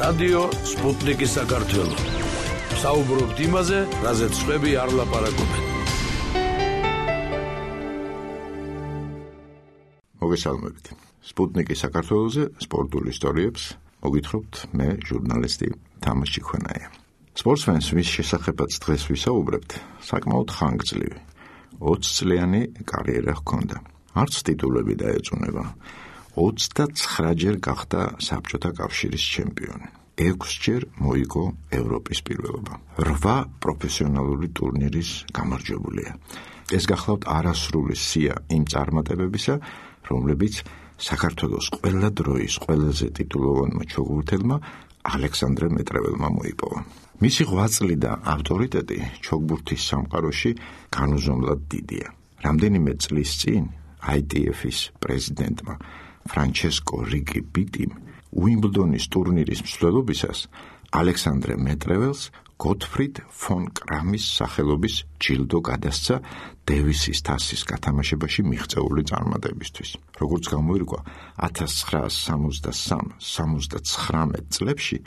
რადიო სპუტნიკის საქართველო. საუბრობთ იმაზე, რაზეც სხვები არ ლაპარაკობენ. მოგესალმებით. სპუტნიკის საქართველოზე სპორტულ ისტორიებს მოგითხრობთ მე, ჟურნალისტი თამაზ ჭიქვენაია. სპორტსმენს ვის შესახებაც დღეს ვისაუბრებთ, საკმაოდ ხანგრძლივი 20 წლიანი კარიერა ჰქონდა. არც ტიტულები დაეწუნება. 29-ჯერ გახდა საბჭოთა კავშირის ჩემპიონი. 6-ჯერ მოიგო ევროპის პირველობა. 8 პროფესიონალური ტურნირის გამარჯვებულია. ეს გახლავთ არასრული სია იმ წარმატებებისა, რომლებიც საქართველოს ყველა დროის ყველაზე ტიტულოვანმა ჩოგბურთელმა ალექსანდრე მეტრეველმა მოიპოვა. მისი ღვაწლი და ავტორიტეტი ჩოგბურთის სამყაროში განუზომლად დიდია. რამდენიმე წლის წინ ITF-ის პრეზიდენტმა ფრანჩესკო რიკი ბიტიმ უიმბლდონის ტურნირის მსვლელობისას ალექსანდრე მეტრეველს გოტფრიდ ფონ კრამის სახელობის ჯილდო გადასცა დევისის თასის გათამაშებაში მიღწეული წარმატებისთვის. როგორც გამოირკვა, 1973-79 წლებში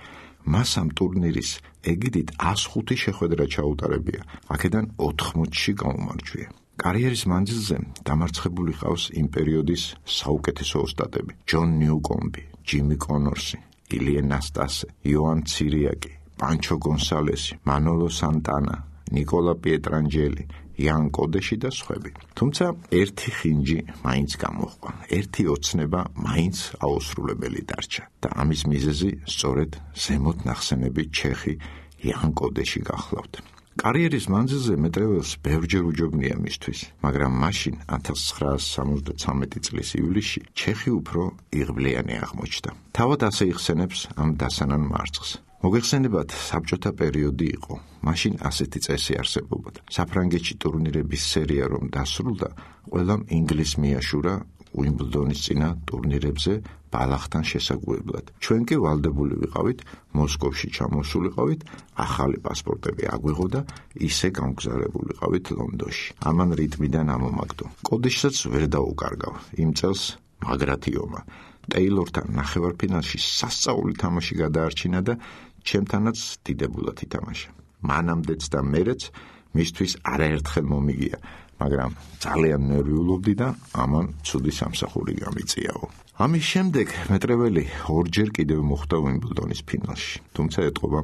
მას ამ ტურნირის ეგიდით 105 შეხვედრა ჩაუტარებია, აქედან 80-ში გაუმარჯვია. კარიერის მანძილზე დამარცხებული ჰყავს იმ პერიოდის საუკეთესო ოსტატები: ჯონ ნიუკომბი, ჯიმი კონორსი, ილია ნასტასე, იოან ცირიაკი, პანჩო გონსალესი, მანოლო სანტანა, ნიკოლა პietrangeli, იან კოდეში და სხვები. თუმცა ერთი ხინჯი მაინც გამოჰყვა, ერთი ოცნება მაინც აუსრულებელი დარჩა და ამის მიზეზი სწორედ ზემოთ ნახსენები ჩეხი იან კოდეში გახლავთ. კარიერის მანძილზე მეტრეველს ბევრჯერ უჯობნია მისთვის, მაგრამ მაშინ 1973 წლის ივლისში ჩეხი უფრო იღბლიანი აღმოჩნდა. თავად ასე იხსენებს ამ დასანან მარცხს. მოგეხსენებათ, საბჭოთა პერიოდი იყო. მაშინ ასეთი წესი არსებობდა. საფრანგეთში ტურნირების სერია რომ დასრულდა, ყველამ ინგლისს მიაშურა უიმბლდონის წინა ტურნირებზე ბალახთან შესაგუებლად. ჩვენ კი ვალდებული ვიყავით, მოსკოვში ჩამოსულიყავით, ახალი პასპორტები აგვიღო და ისე გამგზავრებულიყავით ლონდონში. ამან რიტმიდან ამომაგდო. კოდეშსაც ვერ დაუკარგავ. იმ წელს მაგრათიომა. ტეილორთან ნახევარფინალში სასწაული თამაში გადაარჩინა და ჩემთანაც დიდებულად ითამაშა. მანამდეც და მერეც მისთვის არაერთხელ მომიგია, მაგრამ ძალიან ნერვიულობდი და ამან ცუდი სამსახური გამიწიაო. ამის შემდეგ მეტრეველი 2-ჯერ კიდევ მოხვდა უიმბლდონის ფინალში, თუმცა ეტყობა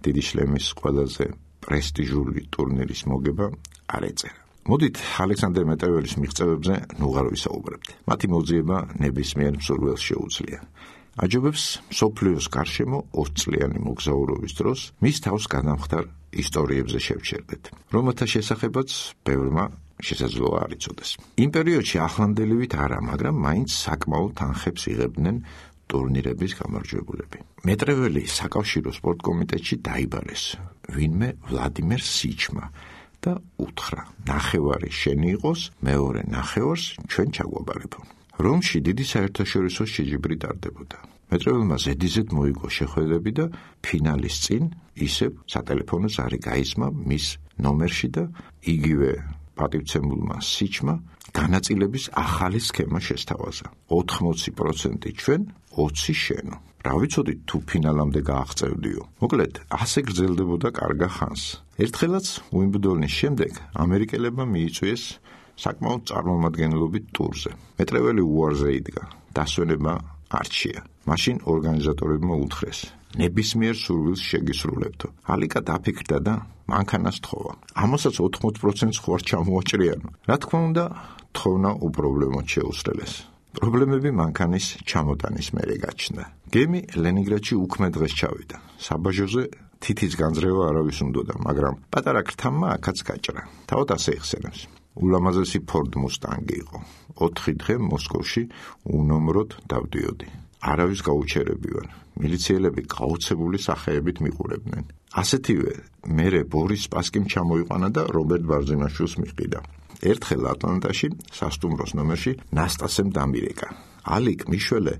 დიდი შლემის ყველაზე პრესტიჟული ტურნირის მოგება არ ეწერა. მოდით ალექსანდრე მეტრეველის მიღწევებზე ნუღარ ვისაუბრებთ. მათი მოძიება ნებისმიერ მსურველს შეუძლია. აჯობებს მსოფლიოს გარშემო 20 წლიანი მოგზაურობის დროს მის თავს გადამხდარ ისტორიებზე შევჩერდეთ, რომელთა შესახებაც ბევრმა შესაძლოა არ იცოდეს. იმ პერიოდში ახლანდელივით არა, მაგრამ მაინც საკმაოდ თანხებს იღებდნენ ტურნირების გამარჯვებულები. მეტრეველი საკავშირო სპორტ კომიტეტში დაიბარეს ვინმე ვლადიმერ სიჩმა და უთხრა: ნახევარი შენი იყოს, მეორე ნახევარს ჩვენ ჩაგვაბარებო. რომში დიდი საერთაშორისო შეჯიბრი ტარდებოდა. მეტრეველმა ზედიზედ მოიგო შეხვედრები და ფინალის წინ ისევ სატელეფონო ზარი გაისმა მის ნომერში და იგივე პატივცემულმა სიჩმა განაწილების ახალი სქემა შესთავაზა. 80% ჩვენ, 20 შენო. რა ვიცოდით თუ ფინალამდე გააღწევდიო. მოკლედ, ასე გრძელდებოდა კარგა ხანს. ერთხელაც უიმბლდონის შემდეგ ამერიკელებმა მიიწვიეს საკმაოდ წარმომადგენლობით ტურზე. მეტრეველი უარზე იდგა. დასვენება არჩია. მაშინ ორგანიზატორებმა უთხრეს: ნებისმიერ სურვილს შეგისრულებთო. ალიკა დაფიქრდა და მანქანას თხოვა. ამასაც 80%-ს ხوار ჩამოაჭრიანო. რა თქმა უნდა, თხოვნა უპრობლემოდ შეუსრელეს. პრობლემები მანქანის ჩამოტანის მერე გაჩნდა. გემი ლენინგრადში უქმე დღეს ჩავიდა. საბაჟოზე თითის განძრევა არავის უნდოდა, მაგრამ პატარა ქრთამმა აქაც გაჭრა. თავად ასე იხსენებს: ულამაზესი ფორდ მუსტანგი იყო. 4 დღე მოსკოვში უნომროდ დავდიოდი. არავის გაუჩერები ვარ. მილიციელები გაოცებული სახეებით მიყურებდნენ. ასეთივე მერე ბორის სპასკიმ ჩამოიყვანა და რობერტ ბარზიმაშვილს მიჰყიდა. ერთხელ ატლანტაში სასტუმროს ნომერში ნასტასემ დამირეკა. ალიკ მიშველე,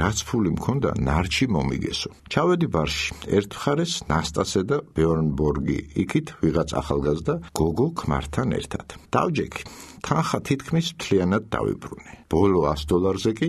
რაც ფული მქონდა, ნარჩი მომიგესო. ჩავედი ბარში. ერთ მხარეს ნასტასე და ბეორნბორგი, იქით ვიღაც ახალგაზრდა გოგო ქმართან ერთად. დავჯექი. თანხა თითქმის მთლიანად დავიბრუნე. ბოლო $100-ზე კი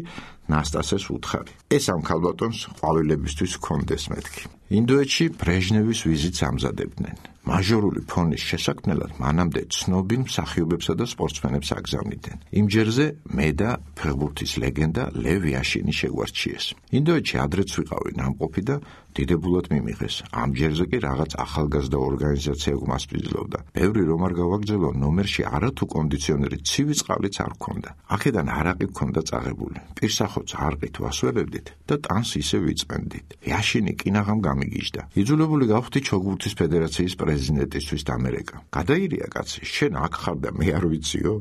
ნასტასეს უთხარი. ეს ამ ქალბატონს ყვავილებისთვის ჰქონდეს მეთქი. ინდოეთში ბრეჟნევის ვიზიტს ამზადებდნენ. მაჟორული ფონის შესაქმნელად მანამდე ცნობილ მსახიობებსა და სპორტსმენებს აგზავნიდნენ. იმ ჯერზე მე და ფეხბურთის ლეგენდა ლევ იაშინი შეგვარჩიეს. ინდოეთში ადრეც ვიყავი ნამყოფი და დიდებულად მიმიღეს. ამ ჯერზე კი რაღაც ახალგაზრდა ორგანიზაცია გვასპირძლობდა. ბევრი რომ არ გავაგრძელო, ნომერში არათუ კონდიციონერი ცივი წყალიც არ ჰქონდა. აქედან არაყი ჰქონდა წაღებული. პირსახოც არყით ვასვენებდით და ტანს ისე ვიწმენდით. იაშინი კინაღამ გამიგიჟდა. იძულებული გავხდი ჩოგბურთის ფედერაციის პრეზიდენტისთვის დამერეკა. გადაირია კაცი, შენ აქ ხარ და მე არ ვიციო?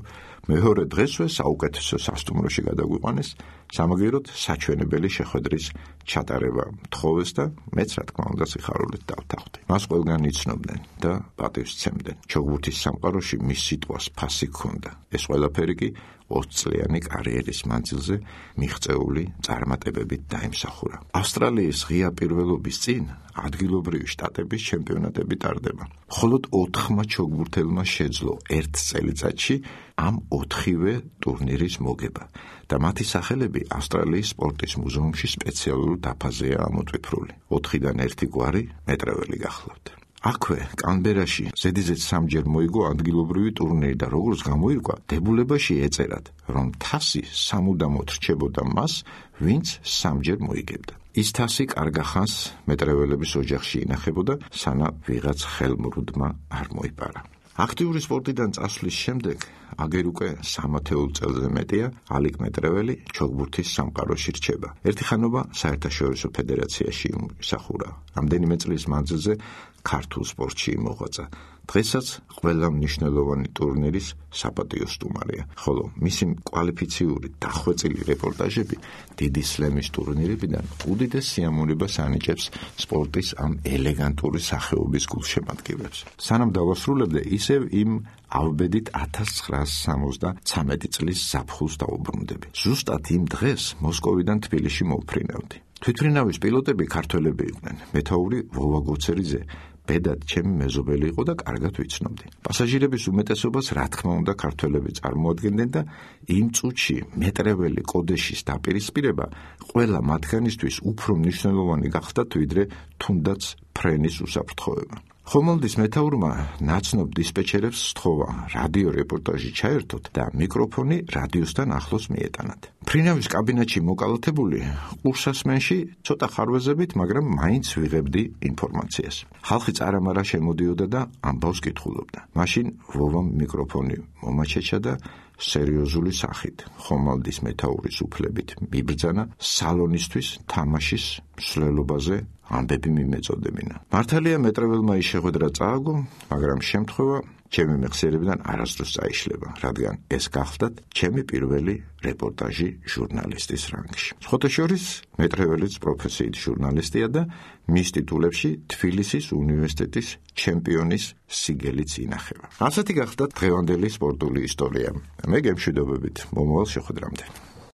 მეორე დღესვე საუკეთესო სასტუმროში გადაგვიყვანეს, სამაგიეროდ საჩვენებელი შეხვედრის ჩატარება მთხოვეს და მეც რა თქმა უნდა სიხარულით დავთანხმდი. მას ყველგან იცნობდნენ და პატივს სცემდნენ. ჩოგბურთის სამყაროში მის სიტყვას ფასი ჰქონდა. ეს ყველაფერი კი 20 წლიანი კარიერის მანძილზე მიღწეული წარმატებებით დაიმსახურა. ავსტრალიის ღია პირველობის წინ ადგილობრივი შტატების ჩემპიონატები ტარდება. მხოლოდ 4 ჩოგბურთელმა შეძლო ერთ წელიწადში ამ 4-ვე ტურნირის მოგება და მათი სახელები ავსტრალიის სპორტის მუზეუმში სპეციალურ დაფაზეა ამოტვიფრული. 4-დან 1 გვარი მეტრეველი გახლავთ. აქვე, კანბერაში, ზედიზედ 3-ჯერ მოიგო ადგილობრივი ტურნირი და როგორც გამოირკვა, დებულებაში ეწერათ, რომ თასი სამუდამოდ რჩებოდა მას, ვინც 3-ჯერ მოიგებდა. ის თასი კარგახანს მეტრეველების ოჯახში ინახებოდა, სანამ ვიღაც ხელმრუდმა არ მოიპარა. აქტიური სპორტიდან წასვლის შემდეგ, აგერ უკვე 30 წელზე მეტია, ალიკ მეტრეველი ჩოგბურთის სამყაროში რჩება. ერთი ხანობა საერთაშორისო ფედერაციაში იმსახურა. რამდენიმე წლის მანძილზე ქართულ სპორტში იმოღვაწა. დღესაც ყველა მნიშვნელოვანი ტურნირის საპატიო სტუმარია, ხოლო მისი კვალიფიციური დახვეწილი რეპორტაჟები დიდი სლემის ტურნირებიდან უდიდეს სიამოვნებას ანიჭებს სპორტის ამ ელეგანტური სახეობის გულშემატკივრებს. სანამ დავასრულებდე, ისევ იმ ავბედით 1973 წლის ზაფხულს დავუბრუნდები. ზუსტად იმ დღეს მოსკოვიდან თბილისში მოვფრინავდი. თვითმფრინავის პილოტები ქართველები იყვნენ. მეთაური ვოვა გოცერიძე ბედად ჩემი მეზობელი იყო და კარგად ვიცნობდი. პასაჟირების უმეტესობას რა თქმა უნდა ქართველები წარმოადგენდნენ და იმ წუთში მეტრეველი კოდეშის დაპირისპირება ყველა მათგანისთვის უფრო მნიშვნელოვანი გახდათ, ვიდრე თუნდაც ფრენის უსაფრთხოება. ხომალდის მეთაურმა ნაცნობ დისპეჩერებს სთხოვა რადიო რეპორტაჟი ჩაერთოთ და მიკროფონი რადიოსთან ახლოს მიეტანათ. ფრინავის კაბინეტში მოკალათებული ყურსასმენში ცოტა ხარვეზებით, მაგრამ მაინც ვიღებდი ინფორმაციას. ხალხი წარამარა შემოდიოდა და ამბავს კითხულობდა. მაშინ ვოვამ მიკროფონი მომაჩეჩა და სერიოზული სახით ხომალდის მეთაურის უფლებით მიბრძანა სალონისთვის თამაშის მსვლელობაზე ამბები მიმეწოდებინა. მართალია მეტრეველმა ის შეხვედრა წააგო, მაგრამ შემთხვევა ჩემი მეხსიერებიდან არასდროს წაიშლება, რადგან ეს გახლდათ ჩემი პირველი რეპორტაჟი ჟურნალისტის რანგში. სხვათა შორის მეტრეველიც პროფესიით ჟურნალისტია და მის ტიტულებში თბილისის უნივერსიტეტის ჩემპიონის სიგელიც ინახება. ასეთი გახლდათ დღევანდელი სპორტული ისტორია. მე გემშვიდობებით მომავალ შეხვედრამდე.